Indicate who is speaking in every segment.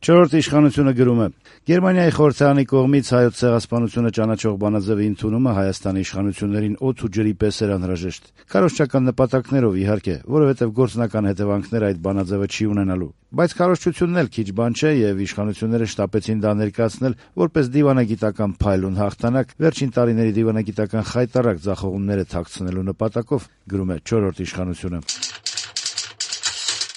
Speaker 1: Չորրորդ իշխանությունը գրում է. Գերմանիայի խորհրդարանի կողմից հայոց ցեղասպանությունը ճանաչող բանաձևի ընդունումը Հայաստանի իշխանություններին օդ ու ջրի պես էր անհրաժեշտ։ Քարոզչական նպատակներով, իհարկե, որովհետև գործնական հետևանքներ այդ բանաձևը չի ունենալու։ Բայց քարոզչությունն էլ քիչ բան չէ, եւ իշխանությունները շտապեցին դա ներկայացնել որպես դիվանագիտական փայլ ու հաղթանակ վերջին տարիների դիվանագիտական խայտառակ ձախողումները թաքցնելու նպատակով, գրում է չորրորդ իշխանությունը։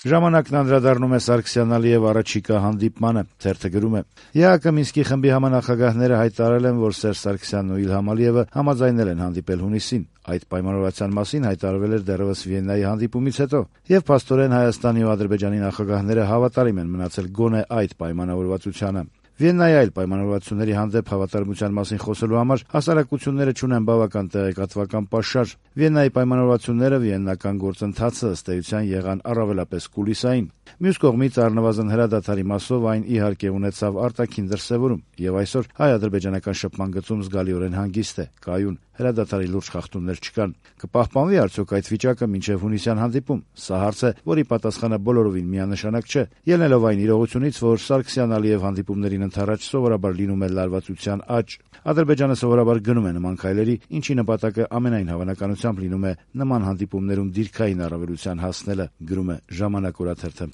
Speaker 1: Ժամանակն անդրադառնում է Սարգսյան-Ալիև առաջիկա հանդիպմանը, թերթը գրում է. ԵԱՀԿ Մինսկի խմբի համանախագահները հայտարարել են, որ Սերժ Սարգսյանն ու Իլհամ Ալիևը համաձայնել են հանդիպել հունիսին։ Այդ պայմանավորվածության մասին հայտարարվել էր դեռևս Վիեննայի հանդիպումից հետո, եւ փաստորեն Հայաստանի ու Ադրբեջանի նախագահները հավատարիմ են մնացել գոնե այդ պայմանավորվածությանը։ Վիեննայի այլ պայմանավորվածությունների հանդեպ հավատարմության մասին խոսելու համար հասարակությունները չունեն բավական տեղեկատվական պաշար։ Վիեննայի պայմանավորվածությունները վիեննական գործընթացը ըստ էության եղան առավելապես կուլիսային։ Մյուս կողմից առնվազն հրադադարի մասով այն իհարկե ունեցավ արտաքին դրսևորում, եւ այսօր հայ-ադրբեջանական շփման գծում զգալիորեն հանգիստ է, կայուն, հրադադարի լուրջ խախտումներ չկան։ Կպահպանվի արդյոք այդ վիճակը մինչև հունիսյան հանդիպում։ Սա հարց է, որի պատասխանը բոլորովին միանշանակ չէ, ելնելով այն իրողությունից, որ Սարգսյան-Ալիև հանդիպումներին ընդառաջ սովորաբար լինում է լարվածության աճ։ Ադրբեջանը սովորաբար գնում է նման քայլերի, ինչի նպատակը ամենայն հավանականությամբ լինում է նման հանդիպումներում դիրքային առավելության հասնելը, գրում է Ժամանակ օրաթերթը։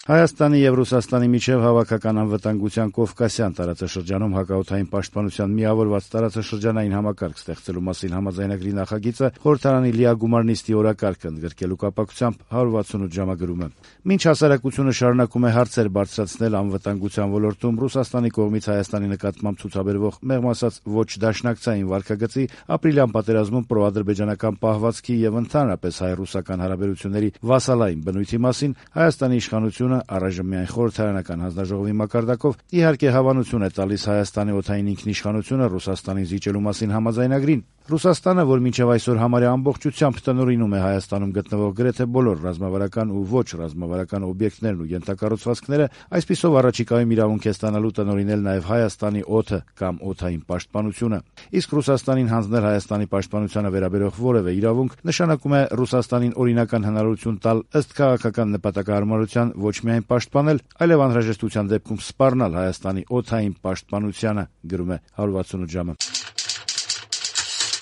Speaker 1: Հայաստանի եւ Ռուսաստանի միջև հավաքական անվտանգության Կովկասյան տարածաշրջանում հակաօդային պաշտպանության միավորված տարածաշրջանային համակարգ ստեղծելու մասին համաձայնագրի նախագիծը խորհրդարանի լիագումար նիստի օրակարգը ընդգրկելու կապակցությամբ 168 ժամագրում է։ Մինչ հասարակությունը շարունակում է հարցեր բարձրացնել անվտանգության ոլորտում Ռուսաստանի կողմից Հայաստանի նկատմամբ ցուցաբերվող մեղմ ասած ոչ դաշնակցային վարկագծի, ապրիլյան պատերազմում պրոադրբեջանական պահվածքի եւ ընդհանրապես հայ-ռուսական հարաբերությունների վասալային բնույթի մասին Հայաստանի իշխանությունը առայժմ միայն խորհրդարանական հանձնաժողովի մակարդակով իհարկե հավանություն է տալիս Հայաստանի օդային ինքնիշխանությունը Ռուսաստանին զիջելու մասին համաձայնագրին։ Ռուսաստանը, որ մինչև այսօր համարյա ամբողջությամբ տնօրինում է Հայաստանում գտնվող գրեթե բոլոր ռազմավարական ու ոչ ռազմավարական օբյեկտներն ու ենթակառուցվածքները, այսպիսով առաջիկայում իրավունք է ստանալու տնօրինել նաև Հայաստանի օդը կամ օդային պաշտպանությունը։ Իսկ Ռուսաստանին հանձնել Հայաստանի պաշտպանությանը վերաբերող որևէ իրավունք նշանակում է Ռուսաստանին օրինական հնարավորություն տալ ըստ քաղաքական նպատակահարմարության ոչ միայն պաշտպանել, այլև անհրաժեշտության դեպքում սպառնալ Հայաստանի օդային պաշտպանությանը, գրում է 168 ժամը։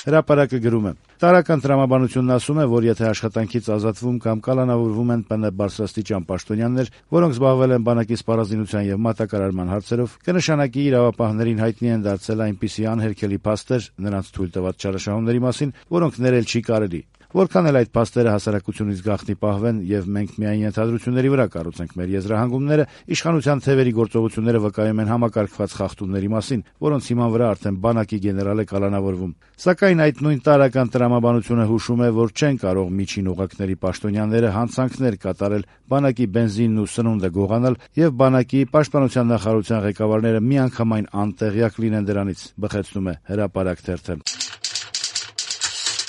Speaker 1: Հրապարակը գրում է. Տարական տրամաբանությունն ասում է, որ եթե աշխատանքից ազատվում կամ կալանավորվում են ՊՆ բարձրաստիճան պաշտոնյաներ, որոնք զբաղվել են բանակի սպառազինության եւ մատակարարման հարցերով, կնշանակի իրավապահներին հայտնի են դարձել այնպիսի անհերքելի փաստեր նրանց թույլ տված չարաշահումների մասին, որոնք ներել չի կարելի։ Որքան էլ այդ փաստերը հասարակությունից գաղտնի պահվեն եւ մենք միայն ենթադրությունների վրա կառուցենք մեր եզրահանգումները, իշխանության թևերի գործողությունները վկայում են համակարգված խախտումների մասին, որոնց հիման վրա արդեն բանակի գեներալ է կալանավորվում։ Սակայն այդ նույն տարական տրամաբանությունը հուշում է, որ չեն կարող միջին օղակների պաշտոնյաները հանցանքներ կատարել, բանակի բենզինն ու սնունդը գողանալ եւ բանակի պաշտպանության նախարարության ղեկավարները միանգամայն անտեղյակ լինեն դրանից, բխեցնում է Հրապարակ թերթը։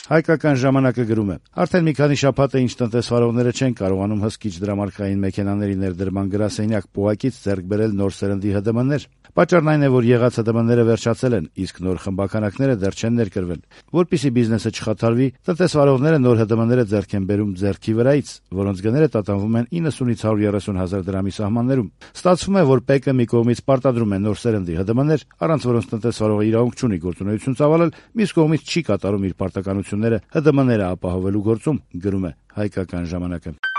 Speaker 1: Հայկական ժամանակը գրում է. Արդեն մի քանի շաբաթ է ինչ տնտեսվարողները չեն կարողանում հսկիչ դրամարկղային մեքենաների ներդրման գրասենյակ պոակից ձեռք բերել նոր սերնդի ՀԴՄ-ներ։ Պատճառն այն է, որ եղած ՀԴՄ-ները վերջացել են, իսկ նոր խմբականակները դեռ չեն ներկրվել։ Որպեսզի բիզնեսը չխաթարվի, տնտեսվարողները նոր ՀԴՄ-ները ձեռք են բերում ձեռքի վրայից, որոնց գները տատանվում են 90-ից 130 հազար դրամի սահմաններում։ Ստացվում է, որ ՊԿ մի կողմից պարտադրում է նոր սերնդի ՀԴՄ-ներ, առանց որոնց տնտեսվարողը իրավունք չունի գործունեություն ծավալել, մյուս կողմից չի կատարում իր պարտականությունները ՀԴՄ-ները ապահովելու գործում, գրում է Հայկական ժամանակը։